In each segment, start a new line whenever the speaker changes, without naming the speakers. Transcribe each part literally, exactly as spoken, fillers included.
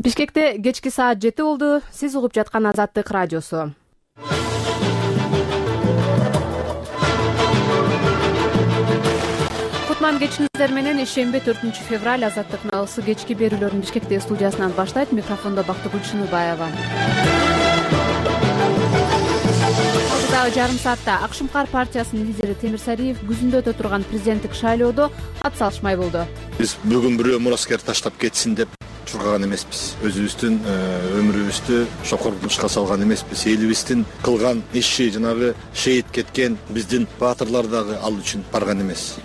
Бишкекте кечки саат жети болду. Сиз угуп жаткан Азаттык радиосу. Кутман кечиңиздер менен ишемби төртүнчү февраль Азаттык налысы кечки берүүлөрүн Бишкекте студиясынан баштайт. Микрофондо Бактыгүл Шыныбаева. Алдыдагы жарым саатта Ак Шумкар партиясынын лидери Темир Сариев күзүндө өтө турган президенттик шайлоодо ат салышмай болду.
Биз бүгүн бирөө мураскер таштап кетсин деп чургаган эмеспиз. Өзүбүздүн өмүрүбүздү чокордушка салган эмеспиз. Элибиздин кылган иши, жанагы шейит кеткен биздин баатырлар дагы ал үчүн барган эмес.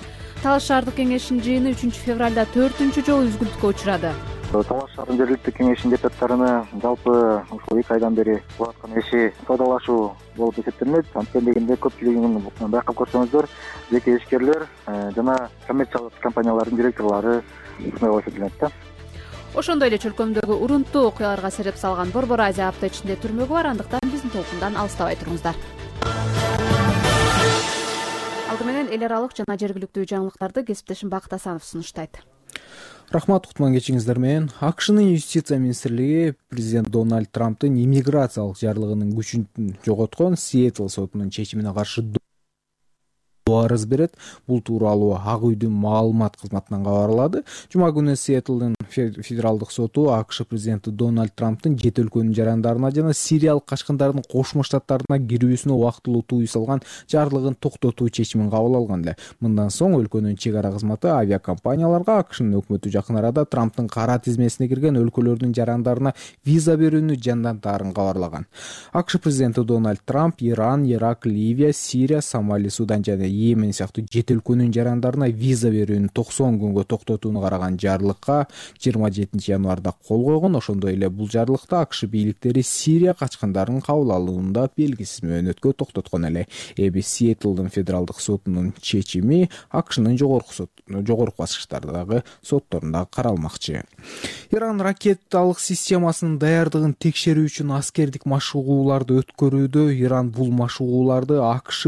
Талаш шаардык кеңешинин жыйыны үчүнчү февралда төртүнчү жолу үзгүлтүккө учурады.
Талаш шаардык жергиликтүү кеңешинин депутаттарына жалпы ушул эки айдан бери кылып аткан иши соодалашуу болуп эсептелинет. Анткени дегенде көпчүлүгүн байкап көрсөңүздөр, жеке ишкерлер жана коммерциялык компаниялардын директорлору ушундай болуп эсептелинет да.
Ошондой эле чөлкөмдөгү урунттуу окуяларга сереп салган Борбор Азия апта ичинде түрмөгү бар. Андыктан биздин толкундан алыстабай туруңуздар. Алды менен эл аралык жана жергиликтүү жаңылыктарды кесиптешим Бакыт Асанов сунуштайт.
Рахмат, кутман кечиңиздер менен. АКШнын юстиция министрлиги президент Дональд Трамптын иммиграциялык жарлыгынын күчүн жоготкон Сиэтл сотунун чечимине каршы арыз берет. Бул тууралуу Ак үйдүн маалымат кызматынан кабарлады. Жума күнү Сиэтлдин федералдык соту АКШ президенти Дональд Трамптын жет өлкөнүн жарандарына жана сириялык качкындардын Кошмо Штаттарына кирүүсүнө убактылуу тыюу салган жарлыгын токтотуу чечимин кабыл алган эле. Мындан соң өлкөнүн чек ара кызматы авиакомпанияларга АКШнын өкмөтү жакын арада Трамптын кара тизмесине кирген өлкөлөрдүн жарандарына виза берүүнү жандантаарын кабарлаган. АКШ президенти Дональд Трамп Иран, Ирак, Ливия, Сирия, Сомали, Судан жана Йемен сыяктуу жет өлкөнүн жарандарына виза берүүнү токсон күнгө токтотууну караган жарлыкка жыйырма жетинчи январда кол койгон. Ошондой эле бул жарлыкта АКШ бийликтери Сирия качкындарын кабыл алуунда белгисиз мөөнөткө токтоткон эле. Эми Сиэтлдин федералдык сотунун чечими АКШнын жогорку сот жогорку баскычтардагы сотторунда каралмакчы. Иран ракеталык системасынын даярдыгын текшерүү үчүн аскердик машыгууларды өткөрүүдө. Иран бул машыгууларды АКШ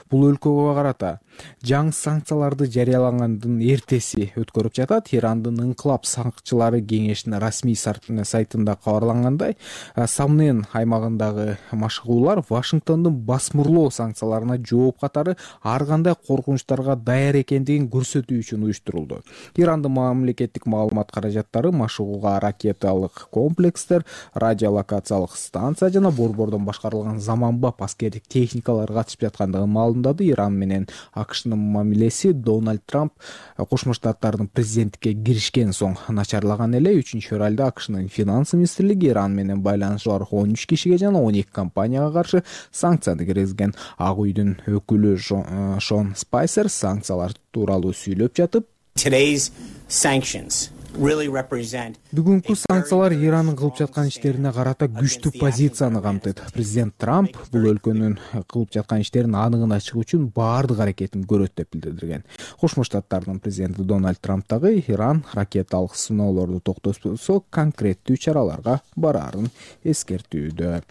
бул өлкөгө карата жаңы санкцияларды жарыялагандын эртеси өткөрүп жатат. Ирандын Инкылап сакчылары кеңешинин расмий сайтында кабарлангандай, Самнен аймагындагы машыгуулар Вашингтондун басмырлоо санкцияларына жооп катары ар кандай коркунучтарга даяр экендигин көрсөтүү үчүн уюштурулду. Ирандын мамлекеттик маалымат каражаттары машыгууга ракеталык комплекстер, радиолокациялык станция жана борбордон башкарылган заманбап аскердик техникалар катышып жаткандыгын маалымдады. Иран менен АКШнын мамилеси Дональд Трамп Кошмо Штаттардын президенттикке киришкен соң начарлаган эле. үчүнчү февралда АКШнын финанс министрлиги Иран менен байланышы бар он үч кишиге жана он эки компанияга каршы санкцияны киргизген. Ак үйдүн өкүлү Шон Спайсер санкциялар тууралуу сүйлөп жатып, бүгүнкү санкциялар Иранын кылып жаткан иштерине карата күчтүү позицияны камтыйт. Президент Трамп бул өлкөнүн кылып жаткан иштерин аныгын ачык үчүн баардык аракетин көрөт деп билдирген. Кошмо Штаттардын президенти Дональд Трамп дагы Иран ракеталык сыноолорду токтотсо конкреттүү чараларга бараарын эскертүүдө.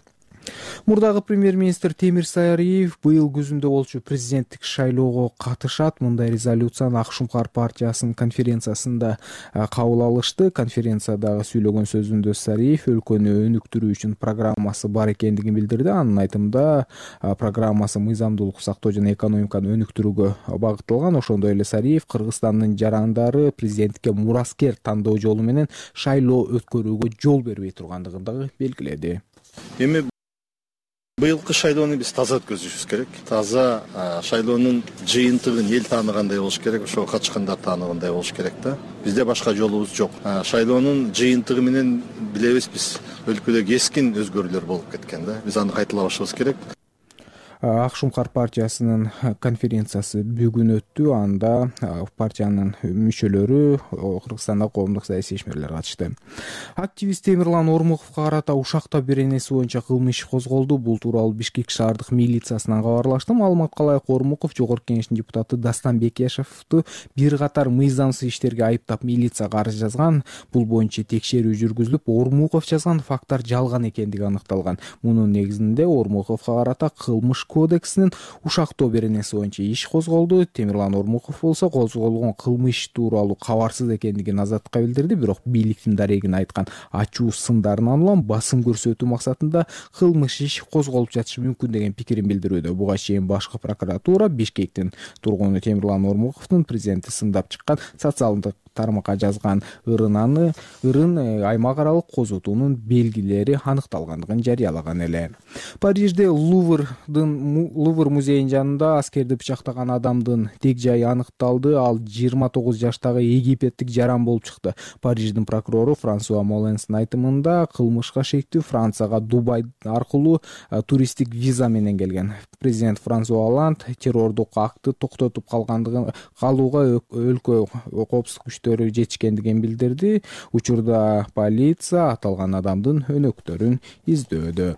Мурдагы премьер-министр Темир Сариев быйыл күзүндө болчу президенттик шайлоого катышат. Мындай резолюцияны Ак Шумкар партиясынын конференциясында кабыл алышты. Конференциядагы сүйлөгөн сөзүндө Сариев өлкөнү өнүктүрүү үчүн программасы бар экендигин билдирди. Анын айтымында программасы мыйзамдуулук сактоо жана экономиканы өнүктүрүүгө багытталган. Ошондой эле Сариев Кыргызстандын жарандары президенттикке мураскер тандоо жолу менен шайлоо өткөрүүгө жол бербей тургандыгын дагы белгиледи.
Эми быйылкы шайлоону биз таза өткөзүшүбүз керек. Таза шайлоонун жыйынтыгын эл тааныгандай болуш керек, ошо качкандар тааныгандай болуш керек да. Бизде башка жолубуз жок. Шайлоонун жыйынтыгы менен билебиз биз өлкөдө кескин өзгөрүүлөр болуп кеткен да. Биз аны кайталабашыбыз керек.
Ак Шумкар партиясынын конференциясы бүгүн өттү. Анда партиянын мүчөлөрү Кыргызстанда коомдук саясий ишмерлер катышты. Активист Темирлан Ормуковго карата ушакта беренеси боюнча кылмыш иши козголду. Бул тууралуу Бишкек шаардык милициясынан кабарлашты. Маалыматка ылайык Ормуков Жогорку кеңештин депутаты Дастан Бекешевду бир катар мыйзамсыз иштерге айыптап милицияга арыз жазган. Бул боюнча текшерүү жүргүзүлүп, Ормуков жазган факттар жалган экендиги аныкталган. Мунун негизинде Ормуковго карата кылмыш кодексинин ушактоо беренеси боюнча иш козголду. Темирлан Ормуков болсо козголгон кылмыш тууралуу кабарсыз экендигин Азаттыкка билдирди, бирок бийликтин дарегин айткан ачуу сындарынан улам басым көрсөтүү максатында кылмыш иш козголуп жатышы мүмкүн деген пикирин билдирүүдө. Буга чейин башкы прокуратура Бишкектин тургуну Темирлан Ормуковдун президентти сындап чыккан социалдык тармакка жазган ырынаны ырын аймак аралык козутуунун белгилери аныкталгандыгын жарыялаган эле. Парижде Луврдын Лувр музейинин жанында аскерди бычактаган адамдын тег жайы аныкталды. Ал жыйырма тогуз жаштагы египеттик жаран болуп чыкты. Париждин прокурору Франсуа Моленстин айтымында кылмышка шектүү Францияга Дубай аркылуу туристтик виза менен келген. Президент Франсуа Оланд террордук акты токтотуп калгандыгын калууга өлкө коопсуздук күчтөрү жетишкендигин билдирди. Учурда полиция аталган адамдын өнөктөрүн издөдө.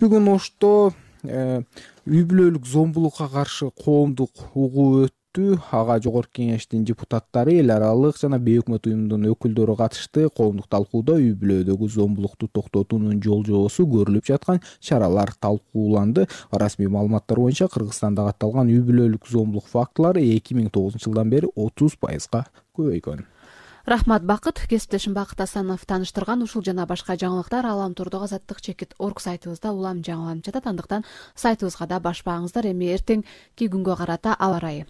Бүгүн Ошто үй бүлөлүк зомбулукка каршы коомдук угуу өттү. Ага жогорку кеңештин депутаттары, эл аралык жана бейөкмөт уюмдун өкүлдөрү катышты. Коомдук талкууда үй бүлөдөгү зомбулукту токтотуунун жол жобосу, көрүлүп жаткан чаралар талкууланды. Расмий маалыматтар боюнча Кыргызстанда катталган үй бүлөлүк зомбулук фактылары эки миң тогузунчу жылдан бери отуз пайызга көбөйгөн.
Рахмат Бакыт. Кесиптешим Бакыт Асанов тааныштырган ушул жана башка жаңылыктар Аламтурдук азаттык чекит орг сайтыбызда улам жаңыланып жатат. Андыктан сайтыбызга да башпаңыздар. Эми эртеңки күнгө карата аба ырайы.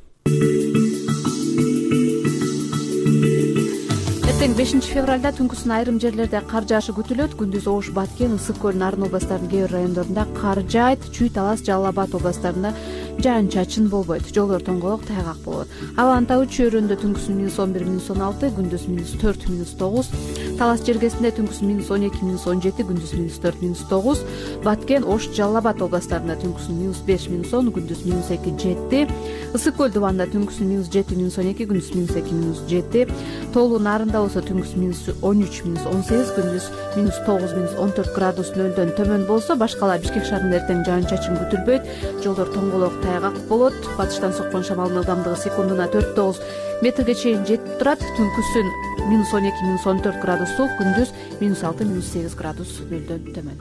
Эртең бешинчи февралда түнкүсүн айрым жерлерде кар жаашы күтүлөт. Күндүз Ош, Баткен, Ысык көл, Нарын областарынын кээ бир райондорунда кар жаайт. Чүй, Талас, Жалал Абад областарында жаан-чачын болбойт. Жолдор тоңголок, тайгак болот. Абанын табы чөйрөндө түнкүсүн минус он бир, минус он алты, күндүз минус төрт, минус тогуз. Талас жергесинде түнкүсүн минус он эки, минус он жети, күндүз минус төрт, минус тогуз. Баткен, Ош, Жалал Абад областарында түнкүсүн минус беш, минус он, күндүз минус эки, жети. Ысык көл дубанда түнкүсүн минус жети, минус он эки, күндүз минус эки, минус жети. Тоолуу Нарында болсо түнкүсүн минус он үч, минус он сегиз, күндүз минус тогуз, минус он төрт градус нөлдөн төмөн болсо. Башкала Бишкек шаарында эртең жаан-чачын күтүлбөйт. Жолдор тоңголок, тайгак болот. Батыштан соккон шамалдын ылдамдыгы секундуна төрт тогуз метрге чейин жетип турат. Түнкүсүн минус он эки, минус он төрт градус суык, күндүз минус алты, минус сегиз градус нөлдөн төмөн.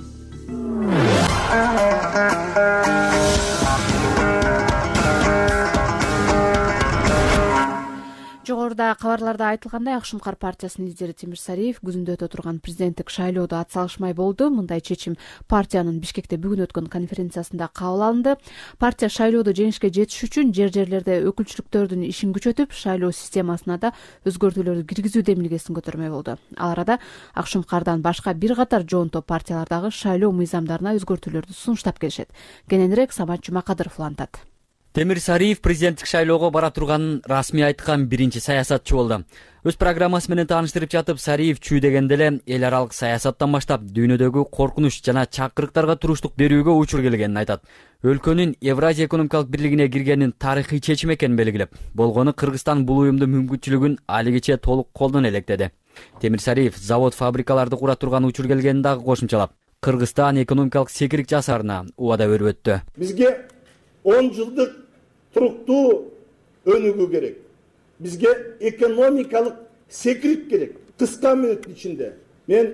Жогоруда кабарларда айтылгандай, Ак Шумкар партиясынын лидери Тимир Сариев күзүндө өтө турган президенттик шайлоодо атсалышмай болду. Мындай чечим партиянын Бишкекте бүгүн өткөн конференциясында кабыл алынды. Партия шайлоодо жеңишке жетиш үчүн жер-жерлерде өкүлчүлүктөрдүн ишин күчөтүп, шайлоо системасына да өзгөртүүлөрдү киргизүү демилгесин көтөрмөй болду. Ал арада Ак Шумкардан башка бир катар жоон топ партиялардагы шайлоо мыйзамдарына өзгөртүүлөрдү сунуштап келишет. Кененирээк Самат Жумакадыров улантат.
Темир Сариев президенттик шайлоого бара турганын расмий айткан биринчи саясатчы болду. Өз программасы менен тааныштырып жатып, Сариев чүй дегенде эле эл аралык саясаттан баштап дүйнөдөгү коркунуч жана чакырыктарга туруштук берүүгө учур келгенин айтат. Өлкөнүн Евразия экономикалык бирлигине киргенин тарыхый чечим экенин белгилеп, болгону Кыргызстан бул уюмдун мүмкүнчүлүгүн алигиче толук колдон электеди. Темир Сариев завод фабрикаларды кура турган учур келгенин дагы кошумчалап, Кыргызстан экономикалык секирик жасаарына убада берип өттү.
Бизге он жылдык туруктуу өнүгүү керек. Бизге экономикалык секирик керек. Кыска мүнөттүн ичинде мен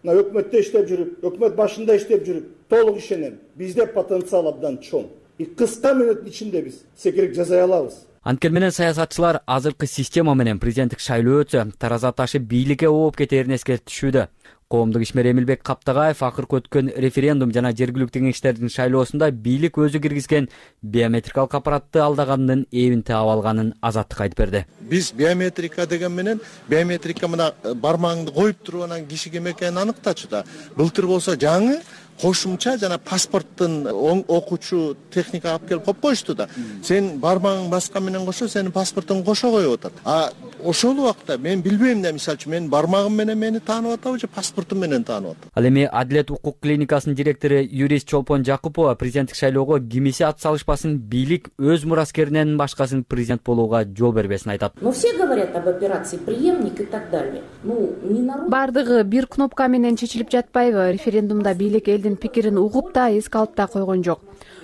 мына өкмөттө иштеп жүрүп, өкмөт башында иштеп жүрүп, толук ишенем. Бизде потенциал абдан чоң. И кыска мүнөттүн ичинде биз секирик жасай алабыз.
Анткени менен саясатчылар азыркы система менен президенттик шайлоо өтсө, тараза ташы бийликке ооп кетерин эскертишүүдө. Коомдук ишмер Эмилбек Каптагаев акыркы өткөн референдум жана жергиликтүү кеңештердин шайлоосунда бийлик өзү киргизген биометрикалык аппаратты алдаганын эбин таап алганын Азаттыкка айтып берди.
Биз биометрика деген менен биометрика мына бармагыңды коюп туруп анан киши ким экенин аныктачу да. Былтыр болсо жаңы кошумча жана паспорттун окуучу техника алып келип коюп коюшту да. Сен бармагың баскан менен кошо сенин паспортуң кошо коюп атат. А ошол убакта мен билбейм да, мисалы үчүн менин бармагым менен мени таанып атабы же паспортум менен таанып атат.
Ал эми Адилет укук клиникасынын директору юрист Чолпон Жакупова президенттик шайлоого кимиси атсалышпасын, бийлик өз мураскеринен башкасын президент болууга жол бербесин айтат.
Но все говорят об операции преемник и так далее. Ну, не народ.
Бардыгы бир кнопка менен чечилип жатпайбы? Референдумда бийлик элдин пикирин угуп да эске алып да койгон жок.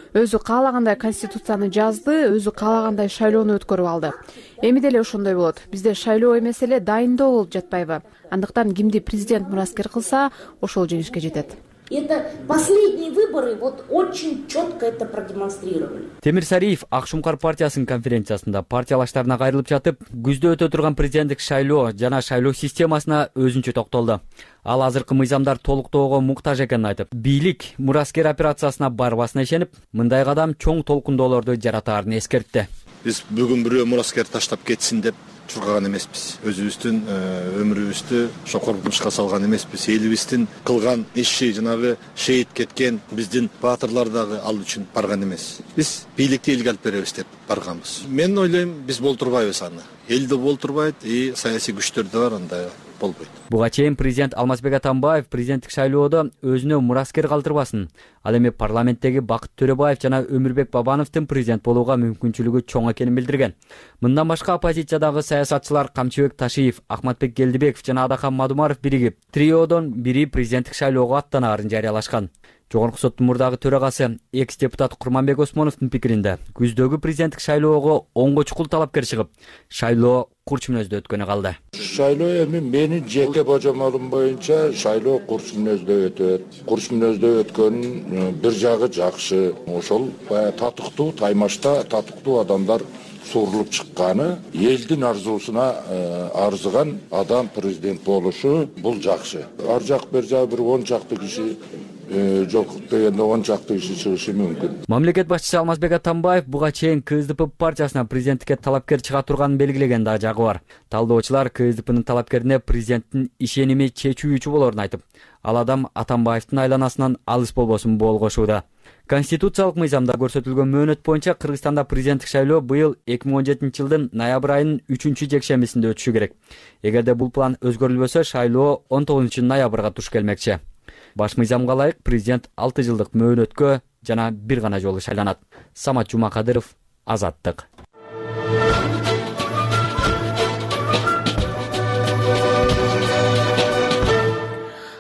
Өзү каалагандай конституцияны жазды, өзү каалагандай шайлоону өткөрүп алды. Эми деле ошондой болот. Бизде шайлоо эмес эле дайындоо болуп жатпайбы? Андыктан кимди президент мураскер кылса, ошол жеңишке жетет.
Это последние выборы вот очень четко это продемонстрировали.
Темир Сариев Ак Шумкар партиясынын конференциясында партиялаштарына кайрылып жатып, күздө өтө турган президенттик шайлоо жана шайлоо системасына өзүнчө токтолду. Ал азыркы мыйзамдар толуктоого муктаж экенин айтып, бийлик мураскер операциясына барбасына ишенип, мындай кадам чоң толкундоолорду жаратаарын эскертти.
Биз бүгүн бирөө мураскер таштап кетсин деп чуркаган эмеспиз. Өзүбүздүн өмүрүбүздү ошо коркунучка салган эмеспиз. Элибиздин кылган иши, жанагы шейит кеткен биздин баатырлар дагы ал үчүн барган эмес. Биз бийликти элге алып беребиз деп барганбыз. Мен ойлойм, биз болтурбайбыз аны. Эл да болтурбайт, и саясий күчтөр да бар, андай болбойт.
Буга чейин президент Алмазбек Атамбаев президенттик шайлоодо өзүнө мураскер калтырбасын. Ал эми парламенттеги Бакыт Төрөбаев жана Өмүрбек Бабановдун президент болууга мүмкүнчүлүгү чоң экенин билдирген. Мындан башка оппозициядагы саясатчылар Камчыбек Ташиев, Ахматбек Келдибеков жана Адахан Мадумаров биригип, триодон бири президенттик шайлоого аттанаарын жарыялашкан. Жогорку соттун мурдагы төрагасы экс-депутат Курманбек Осмоновдун пикиринде, күздөгү президенттик шайлоого онго чукул талапкер чыгып, шайлоо курч мүнөздө өткөнү калды.
Шайлоо эми менин жеке божомолум боюнча шайлоо курч мүнөздө өтөт. Курч мүнөздө өткөн бир жагы жакшы. Ошол татыктуу таймашта татыктуу адамдар сурулуп чыкканы, элдин арзуусуна арзыган адам президент болушу бул жакшы. Ар жак бир жак бир он чакты киши жок дегенде он чакты киши чыгышы мүмкүн.
Мамлекет башчысы Алмазбек Атамбаев буга чейин КСДП партиясына президенттикке талапкер чыга турганын белгилеген да жагы бар. Талдоочулар КСДПнын талапкерине президенттин ишеними чечүүчү болоорун айтып, ал адам Атамбаевдин айланасынан алыс болбосун болгошууда. Конституциялык мыйзамда көрсөтүлгөн мөөнөт боюнча Кыргызстанда президенттик шайлоо быйыл эки миң он жетинчи жылдын ноябрь айынын үчүнчү жекшембисинде өтүшү керек. Эгерде бул план өзгөрүлбөсө, шайлоо он тогузунчу ноябрга туш келмекчи. Баш мыйзамга ылайык президент алты жылдык мөөнөткө жана бир гана жолу шайланат. Самат Жумакадыров, Азаттык.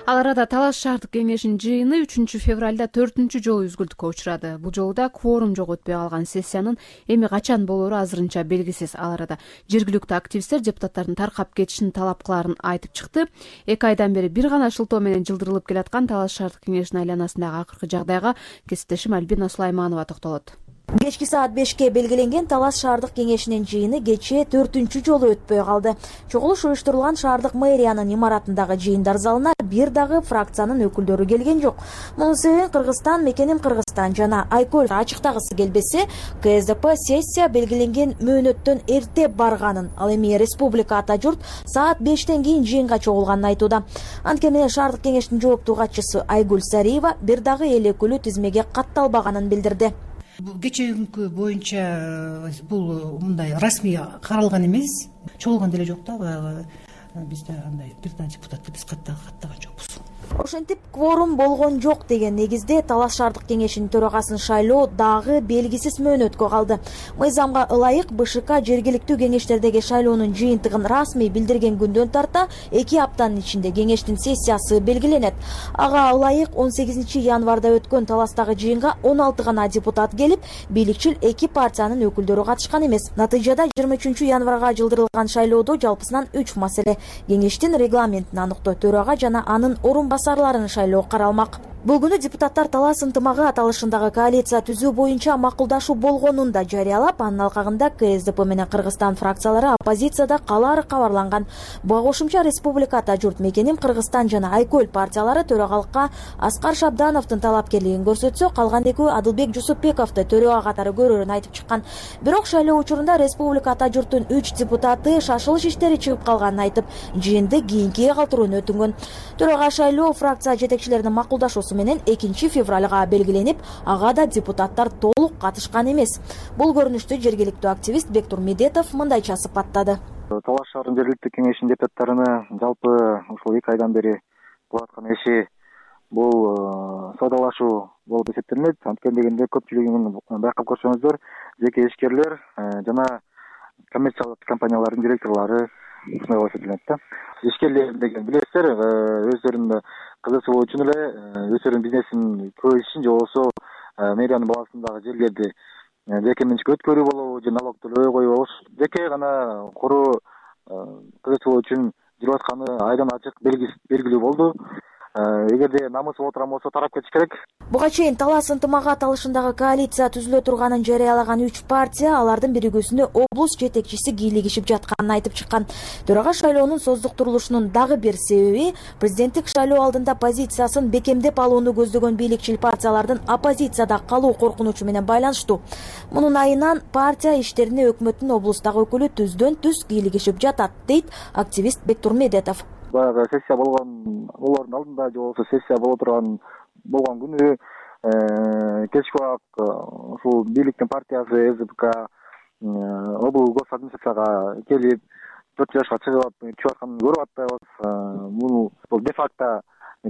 Ал арада Талас шаардык кеңешинин жыйыны үчүнчү февралда төртүнчү жолу үзгүлтүккө учурады. Бул жолу да кворум жок өтпөй калган сессиянын эми качан болоору азырынча белгисиз. Ал арада жергиликтүү активисттер депутаттардын таркап кетишин талап кылаарын айтып чыкты. Эки айдан бери бир гана шылтоо менен жылдырылып келаткан Талас шаардык кеңешинин айланасындагы акыркы жагдайга кесиптешим Альбина Сулайманова токтолот.
Кечки саат бешке белгиленген Талас шаардык кеңешинин жыйыны кечээ төртүнчү жолу өтпөй калды. Чогулуш уюштурулган шаардык мэриянын имаратындагы жыйындар залына бир дагы фракциянын өкүлдөрү келген жок. Мунун себебин Кыргызстан, мекеним Кыргызстан жана Айкөл ачыктагысы келбесе, КСДП сессия белгиленген мөөнөттөн эрте барганын, ал эми республика ата журт саат бештен кийин жыйынга чогулганын айтууда. Анткени шаардык кеңештин жооптуу катчысы Айгүл Сариева бир дагы эл өкүлү тизмеге катталбаганын билдирди.
Кечээкүнкү боюнча бул мындай расмий каралган эмес, чогулган деле жок да, баягы бизде андай бир да депутатты биз каттаган жокпуз.
Ошентип кворум болгон жок деген негизде Талас шаардык кеңешинин төрагасын шайлоо дагы белгисиз мөөнөткө калды. Мыйзамга ылайык БШК жергиликтүү кеңештердеги шайлоонун жыйынтыгын расмий билдирген күндөн тарта эки аптанын ичинде кеңештин сессиясы белгиленет. Ага ылайык он сегизинчи январда өткөн Таластагы жыйынга он алты гана депутат келип, бийликчил эки партиянын өкүлдөрү катышкан эмес. Натыйжада жыйырма үчүнчү январга жылдырылган шайлоодо жалпысынан үч маселе: кеңештин регламентин аныктоо, төрага жана анын орун басарларын шайлоо каралмак. Бул күнү депутаттар Талас ынтымагы аталышындагы коалиция түзүү боюнча макулдашуу болгонун да жарыялап, анын алкагында КСДП менен Кыргызстан фракциялары оппозицияда калаары кабарланган. Буга кошумча республика ата журт, мекеним Кыргызстан жана Айкөл партиялары төрагалыкка Аскар Шабдановдун талапкерлигин көрсөтсө, калган экөө Адылбек Жусупбековду төрага катары көрөрүн айтып чыккан. Бирок шайлоо учурунда республика ата журттун үч депутаты шашылыш иштери чыгып калганын айтып, жыйынды кийинкиге калтырууну өтүнгөн. Төрага шайлоо фракция жетекчилеринин макулдашуусу менен экинчи февралга белгиленип, ага да депутаттар толук катышкан эмес. Бул көрүнүштү жергиликтүү активист Бектур Медетов мындайча сыпаттады.
Талас шаарынын жергиликтүү кеңешинин депутаттарына жалпы ушул эки айдан бери болуп аткан иши бул соодалашуу болуп эсептелинет. Анткени дегенде көпчүлүгүн байкап көрсөңүздөр, жеке ишкерлер жана коммерциялык компаниялардын директорлору ушундай болуп эсептелинет да. Ишкерлер деген билесиздер, өздөрүнүн кызыкчылыгы үчүн эле өздөрүнүн бизнесин көбөйтүшүн же болбосо мэриянын баасындагы жерлерди жеке менчикке өткөрүү болобу же налог төлөбөй коюу жеке гана куруу кызыкчылыгы үчүн жүрүп атканы айдан ачык белгилүү болду. эгерде намысы боло турган болсо тарап кетиш керек.
Буга чейин талас ынтымагат алышындагы коалиция түзүлө турганын жарыялаган үч партия алардын биригүүсүнө облус жетекчиси кийлигишип жатканын айтып чыккан. Төрага шайлоонун создуктурулушунун дагы бир себеби президенттик шайлоо алдында позициясын бекемдеп алууну көздөгөн бийликчил партиялардын оппозицияда калуу коркунучу менен байланыштуу. Мунун айынан партия иштерине өкмөттүн облустагы өкүлү түздөн түз кийлигишип жатат, дейт активист Бектурмедетов.
Баягы сессия болгон болордун алдында же болбосо сессия боло турган болгон күнү кечки убак ушул бийликтин партиясы СДПК облус гос администрацияга келип төрт жашка чыгып чыгып атканын көрүп атпайбыз. Муну де-факто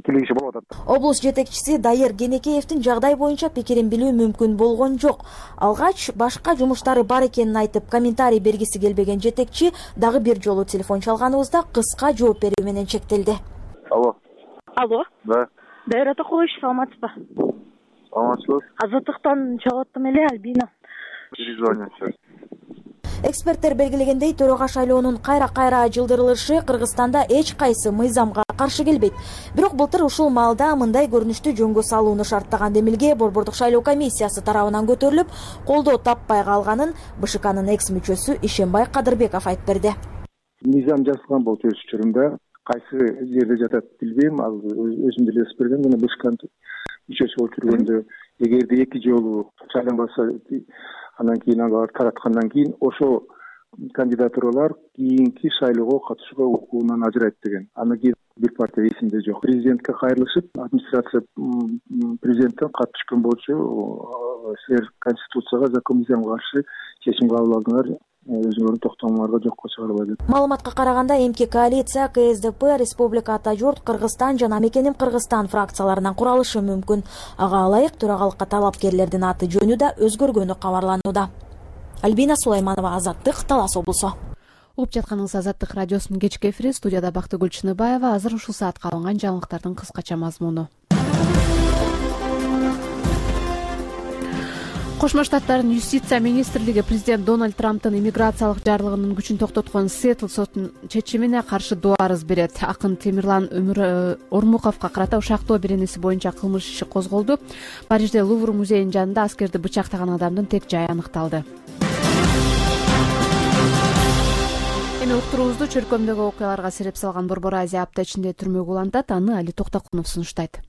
кийлигиши болуп атат.
Облус жетекчиси Дайыр Кенекеевдин жагдай боюнча пикирин билүү мүмкүн болгон жок. Алгач башка жумуштары бар экенин айтып, комментарий бергиси келбеген жетекчи дагы бир жолу телефон чалганыбызда кыска жооп берүү менен чектелди.
Алло.
Алло.
Да.
Дайыр ата коюш, саламатсызбы?
Саламатсызбы.
Азаттыктан чыгып аттым эле, Альбина.
Перезвоню.
Эксперттер белгилегендей, төрага шайлоонун кайра-кайра жылдырылышы Кыргызстанда эч кайсы мыйзамга каршы келбейт. Бирок былтыр ушул маалда мындай көрүнүштү жөнгө салууну шарттаган демилге Борбордук шайлоо комиссиясы тарабынан көтөрүлүп, колдоо таппай калганын БШКнын экс мүчөсү Ишенбай Кадырбеков айтып берди.
Мыйзам жазылган болчу өз учурунда, кайсы жерде жатат билбейм, ал өзүм деле жазып берген, мына БШКнын мүчөсү болуп жүргөндө эгерде эки жолу шайланбаса, андан кийин ага тараткандан кийин ошо кандидатуралар кийинки шайлоого катышууга укугунан ажырайт деген. Андан кийин бир партия эсимде жок. Президентке кайрылышып, администрация президенттен кат түшкөн болчу, силер конституцияга, закон мыйзамга каршы чечим кабыл алдыңар, өзүңөрдүн токтомуңарга жокко чыгарбай деп.
Маалыматка караганда эмки коалиция КСДП, Республика Ата журт, Кыргызстан жана Мекеним Кыргызстан фракцияларынан куралышы мүмкүн. Ага ылайык төрагалыкка талапкерлердин аты жөнү да өзгөргөнү кабарланууда. Альбина Сулайманова, Азаттык, Талас облусу.
Угуп жатканыңыз Азаттык радиосунун кечки эфири, студияда Бактыгүл Чыныбаева. Азыр ушул саатка алынган жаңылыктардын кыскача мазмуну. Кошмо Штаттардын юстиция министрлиги президент Дональд Трамптын иммиграциялык жарлыгынын күчүн токтоткон Сиэтл сотунун чечимине каршы доо арыз берет. Акын Темирлан Ормуковго карата ушактоо беренеси боюнча кылмыш иши козголду. Парижде Лувр музейинин жанында аскерди бычактаган адамдын тек жайы аныкталды. Эми уктуруубузду чөркөмдөгү окуяларга сереп салган Борбор Азия апта ичинде түрмөгө улантат. Аны Али Токтокунов сунуштайт.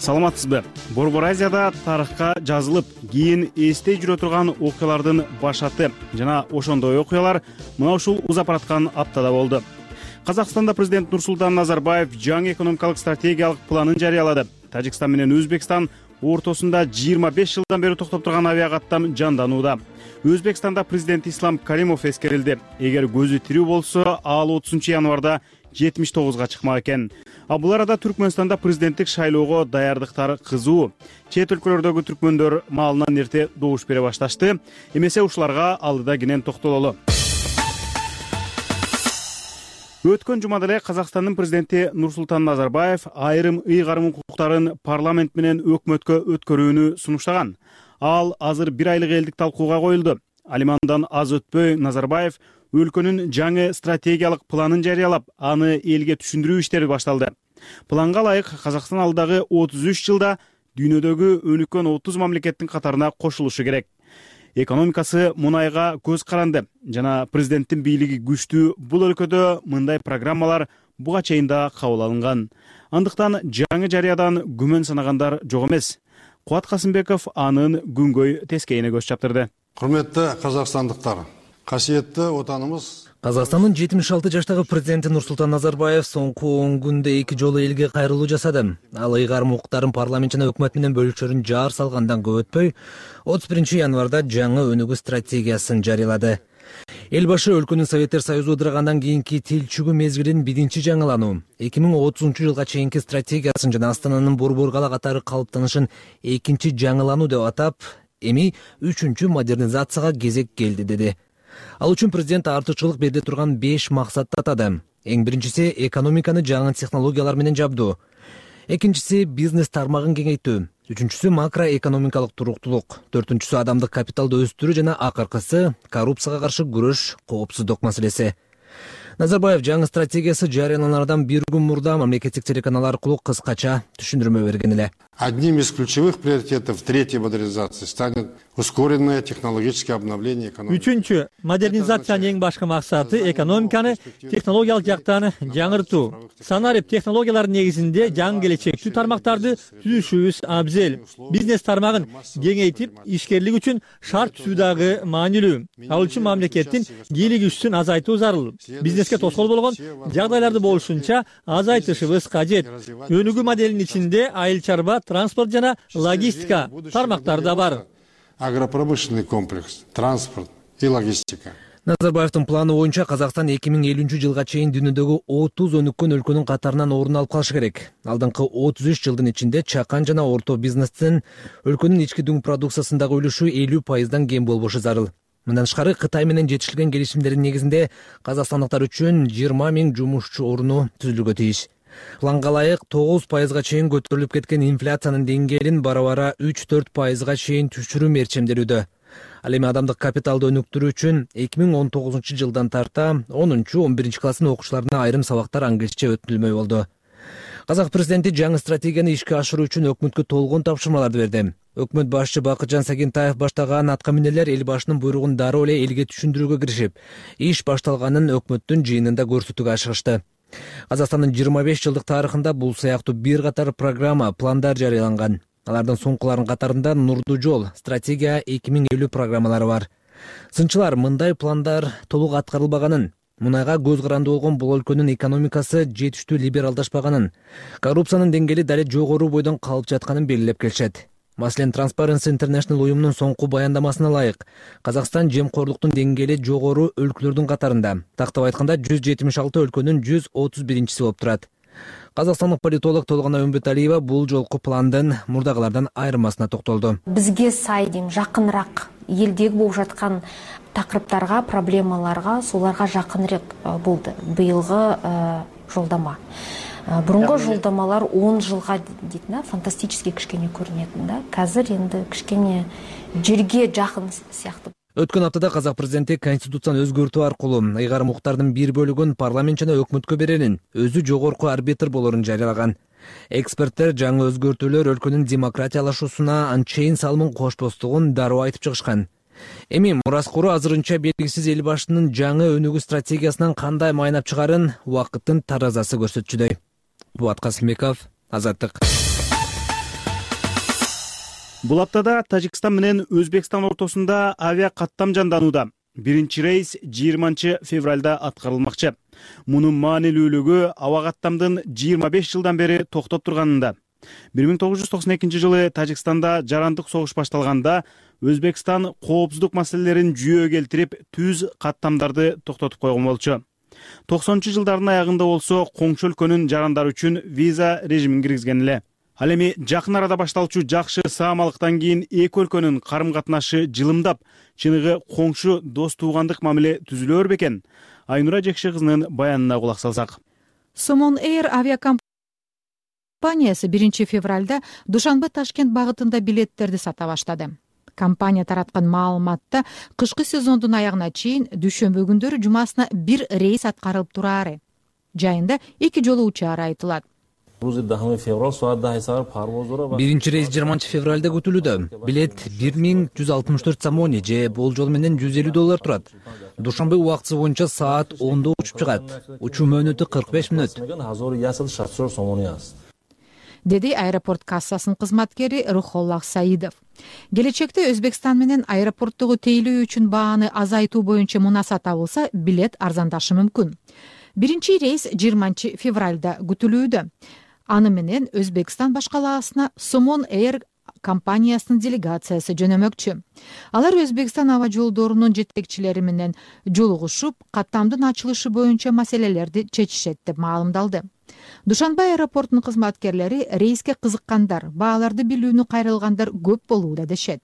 Саламатсызбы. Борбор Азияда тарыхка жазылып, кийин эстей жүрө турган окуялардын башаты жана ошондой окуялар мына ушул узапараткан аптада болду. Казакстанда президент Нурсултан Назарбаев жаңы экономикалык стратегиялык планын жарыялады. Тажикстан менен Өзбекстан ортосунда жыйырма беш жылдан бери токтоп турган авиакаттам жанданууда. Өзбекстанда президент Ислам Каримов эскерилди. Эгер көзү тирүү болсо, ал отузунчу январда жетимиш тогузга чыкмак экен. А бул арада Түркмөнстанда президенттик шайлоого даярдыктар кызуу. Чет өлкөлөрдөгү түркмөндөр маалынан эрте добуш бере башташты. Эмесе ушуларга алдыда кенен токтололу. Өткөн жумада эле Казакстандын президенти Нурсултан Назарбаев айрым ыйгарым укуктарын парламент менен өкмөткө өткөрүүнү сунуштаган. Ал азыр бир айлык элдик талкууга коюлду. Алимандан аз өтпөй Назарбаев өлкөнүн жаңы стратегиялык планын жарыялап, аны элге түшүндүрүү иштери башталды. Планга ылайык Казакстан алдагы отуз үч жылда дүйнөдөгү өнүккөн отуз мамлекеттин катарына кошулушу керек. Экономикасы мунайга көз каранды жана президенттин бийлиги күчтүү бул өлкөдө мындай программалар буга чейин да кабыл алынган. Андыктан жаңы жарыядан күмөн санагандар жок эмес. Кубат Касымбеков анын күнгөй тескейине көз чаптырды.
Курметтүү казакстандыктар, касиеттүү отаныбыз
Казакстандын жетимиш алты жаштагы президенти Нурсултан Назарбаев соңку он күндө эки жолу элге кайрылуу жасады. Ал ыйгарым укуктарын парламент жана өкмөт менен бөлүшөрүн жаар салгандан көп өтпөй, отуз биринчи январда жаңы өнүгүү стратегиясын жарыялады. Эл башы өлкөнүн Советтер Союзу ыдыргандан кийинки тилчүгү мезгилин биринчи жаңылануу, эки миң отузунчу жылга чейинки стратегиясын жана Астананын борбор кала катары калыптанышын экинчи жаңылануу деп атап, эми үчүнчү модернизацияга кезек келди деди. Ал үчүн президент артыкчылык берди турган беш максатты атады. Эң биринчиси экономиканы жаңы технологиялар менен жабдуу. Экинчиси бизнес тармагын кеңейтүү. үчүнчүсү макроэкономикалык туруктулук, төртүнчүсү адамдык капиталды өстүрүү жана акыркысы коррупцияга каршы күрөш, коопсуздук маселеси. Назарбаев жаңы стратегиясы жарыяланардан бир күн мурда мамлекеттик телеканал аркылуу кыскача түшүндүрмө берген эле.
Одним из ключевых приоритетов третьей модернизации станет ускоренное технологическое обновление экономики.
Үчүнчү, модернизациянын эң башкы максаты экономиканы технологиялык жактан жаңыртуу. Санарип технологиялардын негизинде жаңы келечектүү тармактарды түзүшүбүз абзел. Бизнес тармагын кеңейтип, ишкерлик үчүн шарт түзүү дагы маанилүү. Ал үчүн мамлекеттин кийлигишүүсүн азайтуу зарыл. Бизнеске тоскоол болгон жагдайларды болушунча азайтышыбыз кажет. Өнүгүү моделинин ичинде айыл чарба, транспорт жана логистика тармактары да бар.
Агропромышленный комплекс, транспорт и логистика.
Назарбаевдин планы боюнча Казакстан эки миң элүүнчү жылга чейин дүйнөдөгү отуз өнүккөн өлкөнүн катарынан орун алып калышы керек. Алдыңкы отуз үч жылдын ичинде чакан жана орто бизнестин өлкөнүн ички дүң продукциясындагы үлүшү элүү пайыздан кем болбошу зарыл. Мындан тышкары Кытай менен жетишилген келишимдердин негизинде казакстандыктар үчүн жыйырма миң жумушчу орну түзүлүүгө тийиш. Планга ылайык тогуз пайызга чейин көтөрүлүп кеткен инфляциянын деңгээлин бара-бара үч төрт пайызга чейин түшүрүү мерчемделүүдө. Ал эми адамдык капиталды өнүктүрүү үчүн эки миң он тогузунчу жылдан тарта онунчу он биринчи класстын окуучуларына айрым сабактар англисче өтүлмөй болду. Казак президенти жаңы стратегияны ишке ашыруу үчүн өкмөткө толгон тапшырмаларды берди. Өкмөт башчы Бакытжан Сагентаев баштаган атка минерлер эл башынын буйругун дароо эле элге түшүндүрүүгө киришип, иш башталганын өкмөттүн жыйынында көрсөтүүгө ашыгышты. Казакстандын жыйырма беш жылдык тарыхында бул сыяктуу бир катар программа, пландар жарыяланган. Алардын соңкуларынын катарында Нурдуу жол, стратегия эки миң элүү программалары бар. Сынчылар мындай пландар толук аткарылбаганын, мунайга көз каранды болгон бул өлкөнүн экономикасы жетиштүү либералдашпаганын, коррупциянын деңгээли дале жогору бойдон калып жатканын белгилеп келишет. Маселен, Transparency International уюмунун соңку баяндамасына ылайык, Казакстан жемкорлуктун деңгээли жогору өлкөлөрдүн катарында. Тактап айтканда жүз жетимиш алты өлкөнүн жүз отуз биринчиси болуп турат. Казакстандык политолог Толгона Өмбөталиева бул жолку пландын мурдагылардан айырмасына токтолду.
Бизге сай дейм, жакыныраак элдеги болуп жаткан такырыптарга, проблемаларга, соларга жакыныраак болду быйылгы жолдома. Бурунку жолдомалар он жылга дейт да, фантастический кичкене көрүнөт да. Азыр энди кичкене жерге жакын сыяктуу.
Өткөн аптада Казак президенти конституцияны өзгөртүү аркылуу ыйгарым укуктардын бир бөлүгүн парламент жана өкмөткө берерин, өзү жогорку арбитр болорун жарыялаган. Эксперттер жаңы өзгөртүүлөр өлкөнүн демократиялашуусуна анчейин салымын кошпостугун дароо айтып чыгышкан. Эми мураскору азырынча белгисиз эл башынын жаңы өнүгүү стратегиясынан кандай майнап чыгарын убакыттын таразасы көрсөтчүдөй. Булат Касымбеков, Азаттык.
Бул аптада Тажикстан менен Өзбекстан ортосунда авиа каттам жанданууда. Биринчи рейс жыйырманчы февралда аткарылмакчы. Мунун маанилүүлүгү аба каттамдын жыйырма беш жылдан бери токтоп турганында. бир миң тогуз жүз токсон экинчи жылы Тажикстанда жарандык согуш башталганда Өзбекстан коопсуздук маселелерин жүйөгө келтирип, түз каттамдарды токтотуп койгон болчу. токсонунчу жылдардын аягында болсо коңшу өлкөнүн жарандары үчүн виза режимин киргизген эле. Ал эми жакын арада башталчу жакшы саамалыктан кийин эки өлкөнүн карым-катнашы жылымдап, чыныгы коңшу дос туугандык мамиле түзүлөр бекен? Айнура Жекши кызынын баянына кулак салсак.
Somon Air авиакомпаниясы биринчи февралда Душанбе-Ташкент багытында билеттерди сата баштады. Компания тараткан маалыматта кышкы сезондун аягына чейин дүйшөмбү күндөрү жумасына бир рейс аткарылып турары. Жайында эки жолу учаары айтылат.
Биринчи рейс жыйырманчы февралда күтүлүүдө. Билет бир миң жүз алтымыш төрт сомони же болжол менен жүз элүү доллар турат. Душанбе убактысы боюнча саат ондо учуп чыгат. Учуу мөөнөтү кырк беш мүнөт.
Деди аэропорт кассасынын кызматкери Рухоллах Саидов. Келечекте Өзбекстан менен аэропорттогу тейлөө үчүн бааны азайтуу боюнча мунаса табылса, билет арзандашы мүмкүн. Биринчи рейс жыйырманчы февралда күтүлүүдө. Аны менен Өзбекстан башкаласына Somon Air компаниясынын делегациясы жөнөмөкчү. Алар Өзбекстан аба жолдорунун жетекчилери менен жолугушуп, каттамдын ачылышы боюнча маселелерди чечишет деп маалымдалды. Душанбе аэропортунун кызматкерлери рейске кызыккандар, бааларды билүүнү кайрылгандар көп болууда дешет.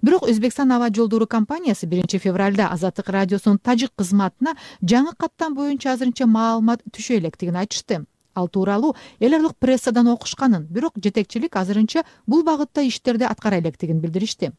Бирок Өзбекстан аба жолдору компаниясы биринчи февралда Азаттык радиосунун тажик кызматына жаңы каттам боюнча азырынча маалымат түшө электигин айтышты. ал тууралуу эл аралык прессадан окушканын, бирок жетекчилик азырынча бул багытта иштерди аткара электигин билдиришти.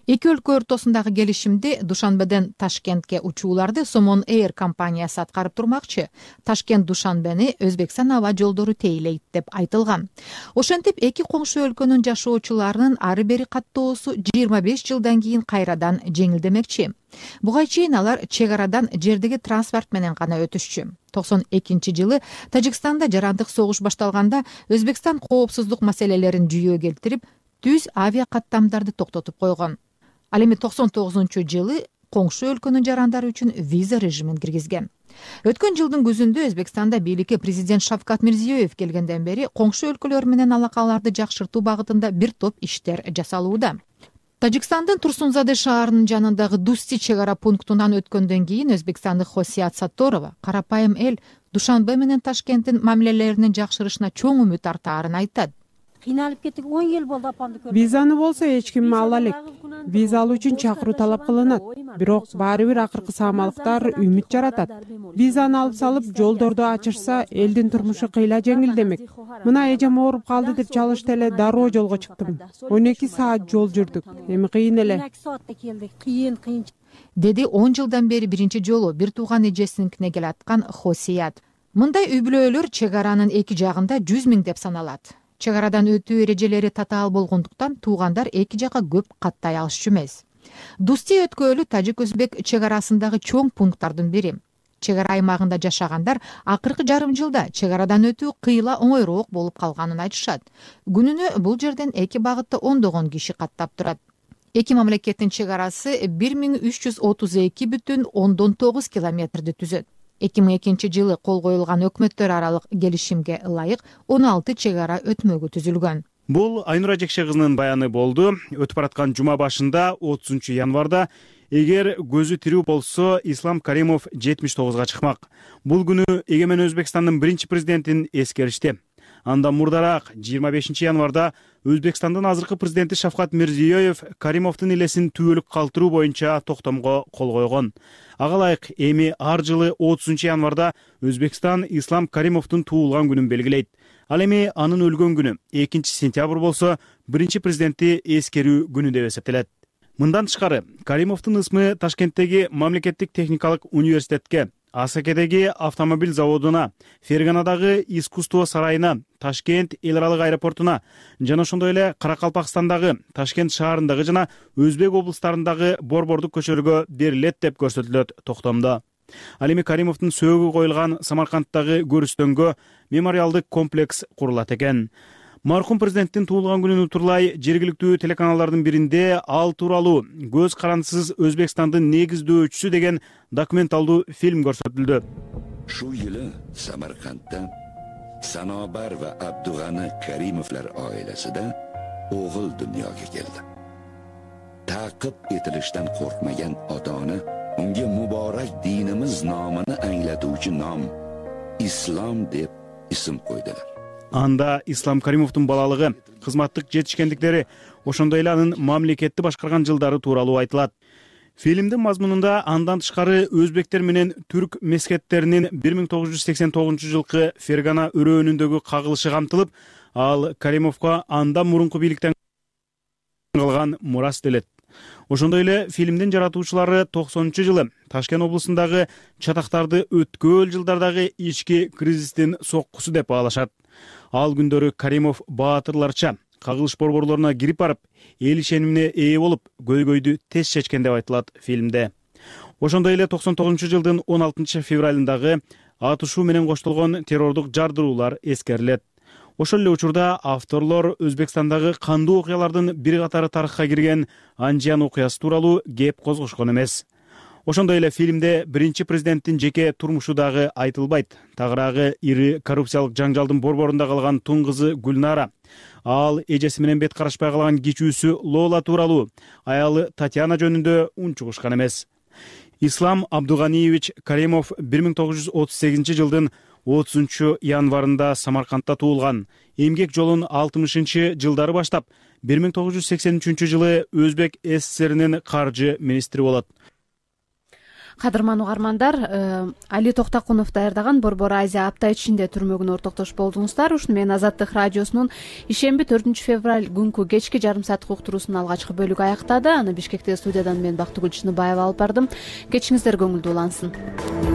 Эки өлкө ортосундагы келишимди Душанбеден Ташкентке учууларды Somon Air компаниясы аткарып турмакчы. Ташкент Душанбени Өзбекстан аба жолдору тейлейт деп айтылган. Ошентип эки коңшу өлкөнүн жашоочуларынын ары бери каттоосу жыйырма беш жылдан кийин кайрадан жеңилдемекчи. Буга чейин алар чек арадан жердеги транспорт менен гана өтүшчү. токсон экинчи жылы Тажикстанда жарандык согуш башталганда Өзбекстан коопсуздук маселелерин жүйөө келтирип, түз авиа каттамдарды токтотуп койгон. Ал эми токсон тогузунчу жылы коңшу өлкөнүн жарандары үчүн виза режимин киргизген. Өткөн жылдын күзүндө Өзбекстанда бийликке президент Шавкат Мирзиёев келгенден бери коңшу өлкөлөр менен алакаларды жакшыртуу багытында бир топ иштер жасалууда. Тажикстандын Турсунзаде шаарынын жанындагы Дусти чек ара пунктунан өткөндөн кийин өзбекстандык Хосият Сатторова карапайым эл Душанбе менен Ташкенттин мамилелеринин жакшырышына чоң үмүт артаарын айтат.
Кыйналып кеттик, он жыл болду апамды көргөнүмө.
Визаны болсо эч ким ала элек. Виза алуу үчүн чакыруу талап кылынат. Бирок баары бир акыркы саамалыктар үмүт жаратат. Визаны алып салып, жолдорду ачышса, элдин турмушу кыйла жеңилдемек. Мына эжем ооруп калды деп чалышты эле дароо жолго чыктым. он эки саат жол жүрдүк. Эми кыйын эле.
Кыйын, кыйын.
Деди он жылдан бери биринчи жолу бир тууган эжесиникине келаткан Хосият. Мындай үй бүлөлөр чек аранын эки жагында жүз миң деп саналат. Чек арадан өтүү эрежелери татаал болгондуктан туугандар эки жакка көп каттай алышчу эмес. Дусти өткөлү тажик-өзбек чек арасындагы чоң пункттардын бири. Чек ара аймагында жашагандар акыркы жарым жылда чек арадан өтүү кыйла оңойроок болуп калганын айтышат. Күнүнө бул жерден эки багытта ондогон киши каттап турат. Эки мамлекеттин чек арасы бир миң үч жүз отуз эки бүтүн ондон тогуз километрди түзөт. эки миң экинчи жылы кол коюлган өкмөттөр аралык келишимге ылайык он алты чек ара өтмөгү түзүлгөн.
Бул Айнура Жекше кызынын баяны болду. Өтүп бараткан жума башында отузунчу январда эгер көзү тирүү болсо Ислам Каримов жетимиш тогузга чыкмак. Бул күнү Эгемен Өзбекстандын биринчи президентин эскеришти. Андан мурдараак жыйырма бешинчи январда Өзбекстандын азыркы президенти Шавкат Мирзиёев Каримовдун элесин түбөлүк калтыруу боюнча токтомго кол койгон. Ага ылайык эми ар жылы отузунчу январда Өзбекстан Ислам Каримовдун туулган күнүн белгилейт. Ал эми анын өлгөн күнү экинчи сентябрь болсо, биринчи президентти эскерүү күнү деп эсептелет. Мындан тышкары, Каримовдун ысмы Ташкенттеги мамлекеттик техникалык университетке, Асакедеги автомобиль заводуна, Ферганадагы искусство сарайына, Ташкент эл аралык аэропортуна жана ошондой эле Каракалпакстандагы, Ташкент шаарындагы жана Өзбек облустарындагы борбордук көчөлөргө берилет деп көрсөтүлөт токтомдо. Ал эми Каримовдун сөөгү коюлган Самаркандтагы көрүстөнгө мемориалдык комплекс курулат экен. Маркум президенттин туулган күнүн утурлай жергиликтүү телеканалдардын биринде ал тууралуу «Көз карандысыз Өзбекстандын негиздөөчүсү» деген документалдуу фильм көрсөтүлдү.
Шу жылы Самаркандда Санобар ва Абдуганы Каримовлар оиласida o'g'il dunyoga keldi. Ta'qib etilishdan qo'rqmagan ota-ona unga muborak dinimiz nomini anglatuvchi nom Islom deb ism qo'ydilar.
Анда Ислам Каримовдун балалыгы, кызматтык жетишкендиктери, ошондой эле анын мамлекетти башкарган жылдары тууралуу айтылат. Фильмдин мазмунунда андан тышкары өзбектер менен түрк мескеттеринин бир миң тогуз жүз сексен тогузунчу жылкы Фергана өрөөнүндөгү кагылышы камтылып, ал Каримовго андан мурунку бийликтен калган мурас делет. Ошондой эле фильмдин жаратуучулары токсонунчу жылы Ташкент облусундагы чатактарды өткөл жылдардагы ички кризистин соккусу деп баалашат. Ал күндөрү Каримов баатырларча кагылыш борборлоруна кирип барып, эл ишенимине ээ болуп, көйгөйдү тез чечкен деп айтылат фильмде. Ошондой эле токсон тогузунчу жылдын он алтынчы февралындагы атышуу менен коштолгон террордук жардыруулар эскерилет. Ошол эле учурда авторлор Өзбекстандагы кандуу окуялардын бир катары тарыхка кирген Анжиян окуясы тууралуу кеп козгошкон эмес. Ошондой эле фильмде биринчи президенттин жеке турмушу дагы айтылбайт. Тагыраагы ири коррупциялык жаңжалдын борборунда калган тун кызы Гүлнара, ал эжеси менен бет карашпай калган кичүүсү Лола тууралуу, аялы Татьяна жөнүндө унчугушкан эмес. Ислам Абдуганиевич Каримов бир миң тогуз жүз отуз сегизинчи жылдын отузунчу январында Самаркандта туулган. Эмгек жолун алтымышынчы жылдары баштап, бир миң тогуз жүз сексен үчүнчү жылы Өзбек СССРинин каржы министри болот.
кадырман угармандар, Али Токтокунов даярдаган Борбор Азия апта ичинде түрмөгүнө ортоктош болдуңуздар. Ушуну менен Азаттык радиосунун ишемби төртүнчү февраль күнкү кечки жарым сааттык уктуруусунун алгачкы бөлүгү аяктады. Аны Бишкектеги студиядан мен Бактыгүл Чыныбаева алып бардым. Кечиңиздер көңүлдүү улансын.